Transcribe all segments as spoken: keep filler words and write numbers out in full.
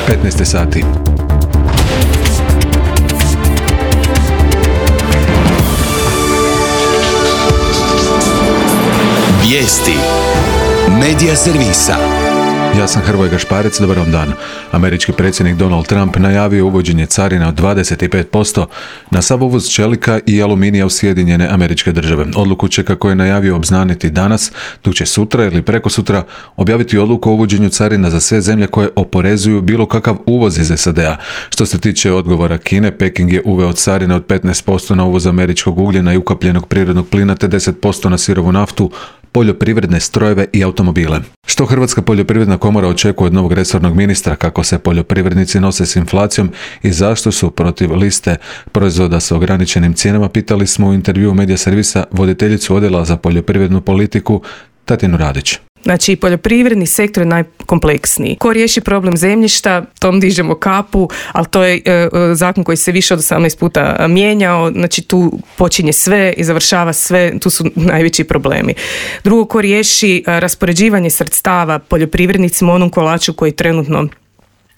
petnaest sati. Vijesti Medija servisa. Ja sam Hrvoje Gašparec, dobar vam dan. Američki predsjednik Donald Trump najavio uvođenje carina od dvadeset pet posto na sav uvoz čelika i aluminija u Sjedinjene Američke Države. Odluku će, kako je najavio, obznaniti danas, dok će sutra ili prekosutra objaviti odluku o uvođenju carina za sve zemlje koje oporezuju bilo kakav uvoz iz S A D-a. Što se tiče odgovora Kine, Peking je uveo carine od petnaest posto na uvoz američkog ugljena i ukapljenog prirodnog plina te deset posto na sirovu naftu, poljoprivredne strojeve i automobile. Što Hrvatska poljoprivredna komora očekuje od novog resornog ministra, kako se poljoprivrednici nose s inflacijom i zašto su protiv liste proizvoda s ograničenim cijenama, pitali smo u intervjuu Medija servisa voditeljicu odjela za poljoprivrednu politiku Tatjanu Radić. Znači, poljoprivredni sektor je najkompleksniji. Ko riješi problem zemljišta, tom dižemo kapu, ali to je e, zakon koji se više od osamnaest puta mijenjao, znači tu počinje sve i završava sve, tu su najveći problemi. Drugo, ko riješi e, raspoređivanje sredstava poljoprivrednicima, onom kolaču koji trenutno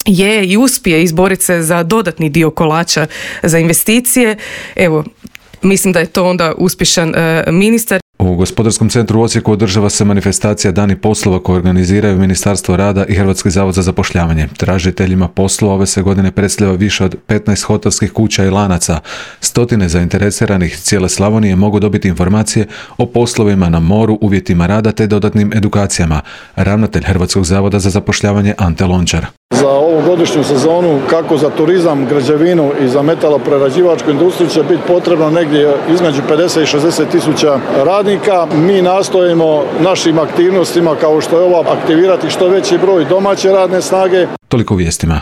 je i uspije izboriti se za dodatni dio kolača za investicije, evo, mislim da je to onda uspješan e, ministar. U Gospodarskom centru u Osijeku održava se manifestacija Dani poslova koje organiziraju Ministarstvo rada i Hrvatski zavod za zapošljavanje. Tražiteljima poslova ove se godine predstavlja više od petnaest hotelskih kuća i lanaca. Stotine zainteresiranih cijele Slavonije mogu dobiti informacije o poslovima na moru, uvjetima rada te dodatnim edukacijama. Ravnatelj Hrvatskog zavoda za zapošljavanje Ante Lončar. Za ovu godišnju sezonu, kako za turizam, građevinu i za metaloprerađivačku industriju, će biti potrebno negdje između pedeset i šezdeset tisuća radnika. Mi nastojimo našim aktivnostima, kao što je ova, aktivirati što veći broj domaće radne snage. Toliko u vijestima.